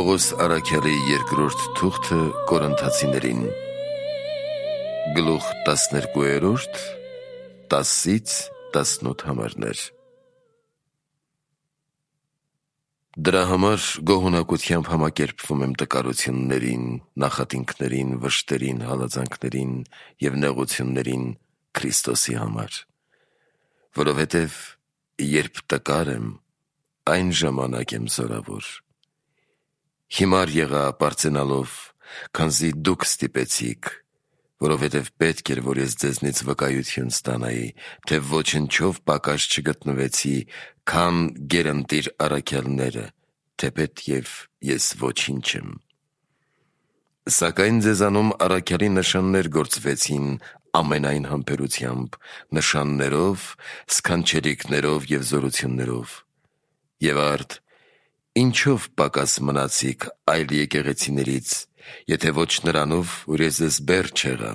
Պողոս Արաքյալի երկրորդ թուղթը Կորինթացիներին գլուխ 12, 10-ից 18 համարներ։ Դրա համար գոհունակությամբ համակերպվում եմ տկարություններին, նախատինքներին, վշտերին, հալածանքներին և նեղություններին Քրիստոսի համար, որովհետև երբ տկար եմ, այն ժամանակ եմ զորավոր։ Հիմար եղա պարծենալով, քանզի դուք ստիպեցիք, որովհետև պետք էր, որ ես ձեզնից վկայություն ստանայի, թե ոչնչով պակաս չգտնվեցի, քան գերընտիր առաքյալները, թեպետ և ես ոչինչ եմ։ Սակայն ձեզանում առաքյալի նշաններ գործվեցին ամենայն համբերությամբ, նշաններով, սքանչելիքներով և զորություններով։ Եվ արդ, ինչով պակաս մնացիք այլ եկեղեցիներից, եթե ոչ նրանով, որ ես ձեզ բեռ չեղա,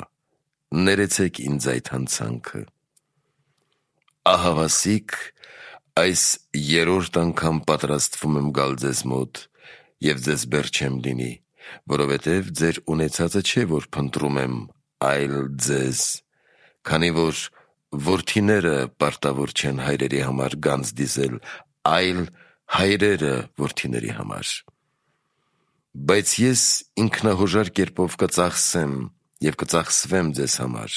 ներեցեք ինձ այդ հանցանքը։ Ահավասիկ այս երրորդ անգամ պատրաստվում եմ գալ ձեզ մոտ և ձեզ բեռ չեմ լինի, որովհետև ձեր ունեցածը չէ, որ փնտրում եմ, այլ ձեզ, քանի որ որդիները պարտավոր չեն հայրերի համար գանձ դիզել, այլ հայրերը որդիների համար։ Բայց ես ինքնահոժար կերպով կծախսեմ և կծախսվեմ ձեզ համար,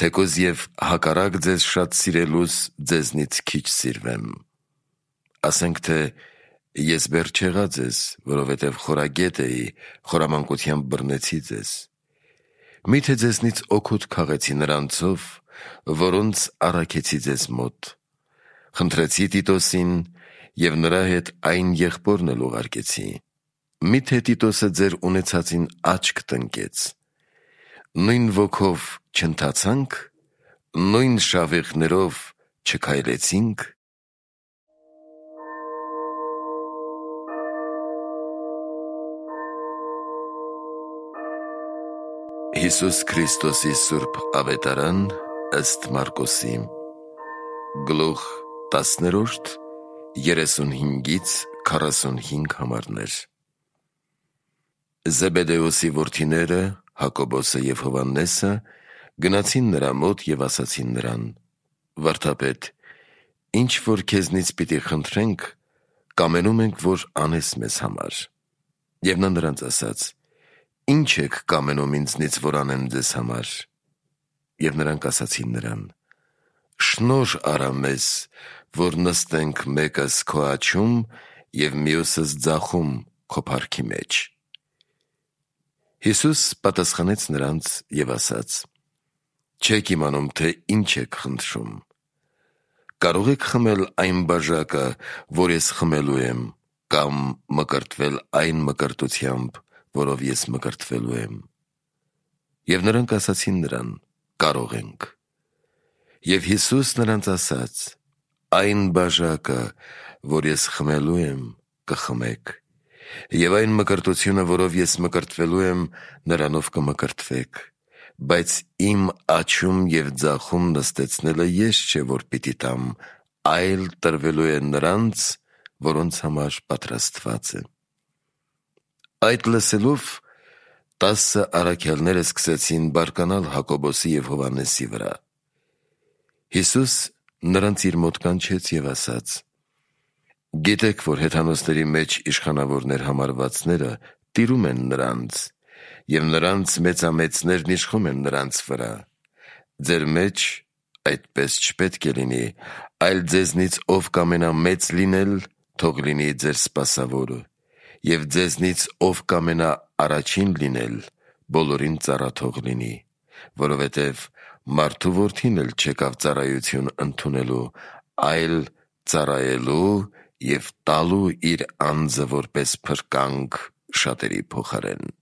թեկուզ և հակառակ ձեզ շատ սիրելուս ձեզնից քիչ սիրվեմ։ Ասենք թե ես բեռ չեղա ձեզ, որովհետև խորագետ էի, խորամանկությամբ բռնեցի ձեզ։ Միթե ձեզնից օգուտ քաղեցի նրանցով, որոնց առաքեցի ձեզ մոտ։ Խնդրեցի Տիտոսին և նրա հետ այն եղբորն էլ ուղարկեցի։ Միթե Տիտոսը ձեր ունեցածին աչք տնկեց։ Նույն ոգով չընթացա՞նք, նույն շավիղներով չքայլեցինք։ Հիսուս Քրիստոսի սուրբ ավետարան ըստ Մարկոսի գլուխ 10, 35-ից 45 համարներ։ Զեբեդեոսի որդիները Հակոբոսը և Հովհաննեսը գնացին նրա մոտ և ասացին նրան. «Վարդապետ, ինչ որ քեզնից պիտի խնդրենք, կամենում ենք, որ անես մեզ համար»։ Եվ նա նրանց ասաց. «Ինչ եք կամենում ինձնից, որ անեմ ձեզ համար»։ Եվ նրանք ասացին նրան. «Շնորհ արա մեզ, որ նստենք մեկս քո աջում և մյուսս ձախում քո փառքի մեջ»։ Հիսուս պատասխանեց նրանց և ասաց. «Չեք իմանում, թե ինչ եք խնդրում։ Կարո՞ղ եք խմել այն բաժակը, որ ես խմելու եմ, կամ մկրտվել այն մկրտությամբ, որով ես մկրտվելու եմ»։ Եվ նրանք ասացին նրան. «Կարող ենք»։ Եվ Հիսուս նրանց ասաց. «Այն բաժակը, որ ես խմելու եմ, կխմեք, և այն մկրտությունը, որով ես մկրտվելու եմ, նրանով կմկրտվեք, բայց իմ աջում և ձախում նստեցնելը ես չէ, որ պիտի տամ, այլ տրվելու է նրանց, որոնց համար պատրաստված է»։ Այդ լսելով 10 առաքյալները սկսեցին բարկանալ Հակոբոսի և Հովհաննեսի վրա։ Հիսուս նրանց իր մոտ կանչեց և ասաց. «Գիտեք, որ հեթանոսների մեջ իշխանավորներ համարվածները տիրում են նրանց, և նրանց մեծամեծներն իշխում են նրանց վրա։ Ձեր մեջ այդպես չպետք է լինի, այլ ձեզնից ով կամենա մեծ լինել, թող լինի ձեր սպասավորը, և ձեզնից ով կամենա առաջին լինել, բոլորին ծառա թող լինի, որովհետև մարդու որդին էլ չեկավ ծառայություն ընդունելու, այլ ծառայելու և տալու իր անձը որպես փրկանք շատերի փոխարեն»։